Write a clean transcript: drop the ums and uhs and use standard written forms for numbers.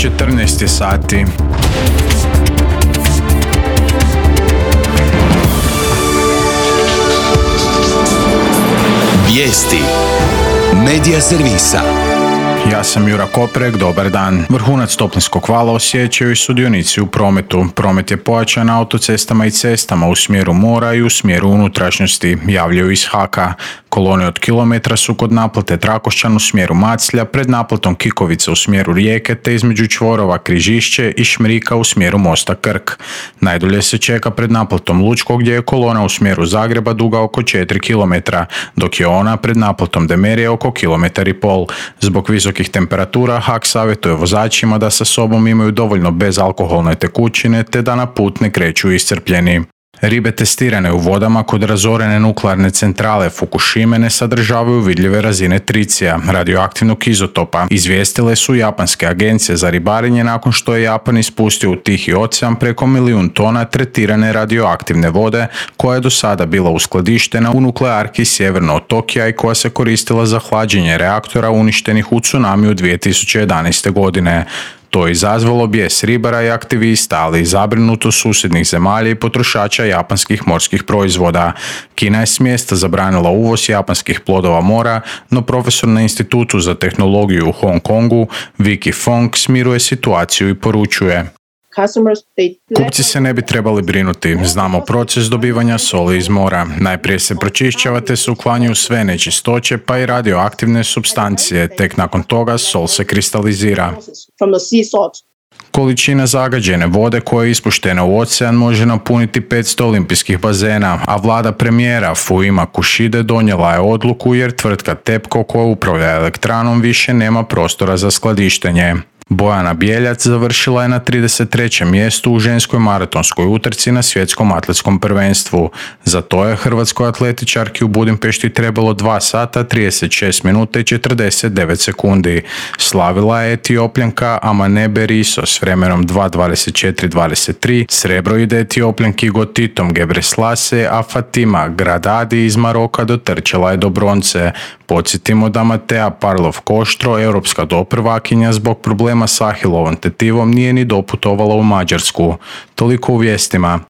14 sati. Vijesti Medija servisa. Ja sam Jura Koprek, dobar dan. Vrhunac toplinskog vala osjećaju i sudionici u prometu. Promet je pojačan na autocestama i cestama u smjeru mora i u smjeru unutrašnjosti, javljaju iz HAK-a. Kolone od kilometra su kod naplate Trakošćan u smjeru Maclja, pred naplatom Kikovica u smjeru Rijeke te između čvorova Križišće i Šmrika u smjeru mosta Krk. Najdulje se čeka pred naplatom Lučko gdje je kolona u smjeru Zagreba duga oko 4 km, dok je ona pred naplatom Demerije oko 1,5 km. Zbog visokih temperatura HAK savjetuje vozačima da sa sobom imaju dovoljno bezalkoholne tekućine te da na put ne kreću iscrpljeni. Ribe testirane u vodama kod razorene nuklearne centrale Fukushime ne sadržavaju vidljive razine tricija, radioaktivnog izotopa, izvijestile su japanske agencije za ribarenje nakon što je Japan ispustio u Tihi ocean preko 1 milijun tona tretirane radioaktivne vode koja je do sada bila uskladištena u nuklearki sjeverno od Tokija i koja se koristila za hlađenje reaktora uništenih u tsunamiju 2011. godine. To je izazvalo bijes ribara i aktivista, ali i zabrinutost susjednih zemalja i potrošača japanskih morskih proizvoda. Kina je s mjesta zabranila uvoz japanskih plodova mora, no profesor na Institutu za tehnologiju u Hong Kongu, Vicky Fong, smiruje situaciju i poručuje: Kupci se ne bi trebali brinuti. Znamo proces dobivanja soli iz mora. Najprije se pročišćava te se uklanjaju sve nečistoće pa i radioaktivne supstancije. Tek nakon toga sol se kristalizira. Količina zagađene vode koja je ispuštena u ocean može napuniti 500 olimpijskih bazena, a vlada premijera Fumio Kishide donijela je odluku jer tvrtka TEPCO koja upravlja elektranom više nema prostora za skladištenje. Bojana Bjeljac završila je na 33. mjestu u ženskoj maratonskoj utrci na svjetskom atletskom prvenstvu. Za to je hrvatskoj atletičarki u Budimpešti trebalo 2 sata, 36 minuta i 49 sekundi. Slavila je Etiopljanka Amanebe Riso s vremenom 2:24:23, srebro ide Etiopljanki Gotitom Gebreslase, a Fatima Gradadi iz Maroka dotrčala je do bronce. Podsjetimo da Matea Parlov-Koštro, europska doprvakinja, zbog problema s Ahilovom tetivom nije ni doputovala u Mađarsku. Toliko u vijestima.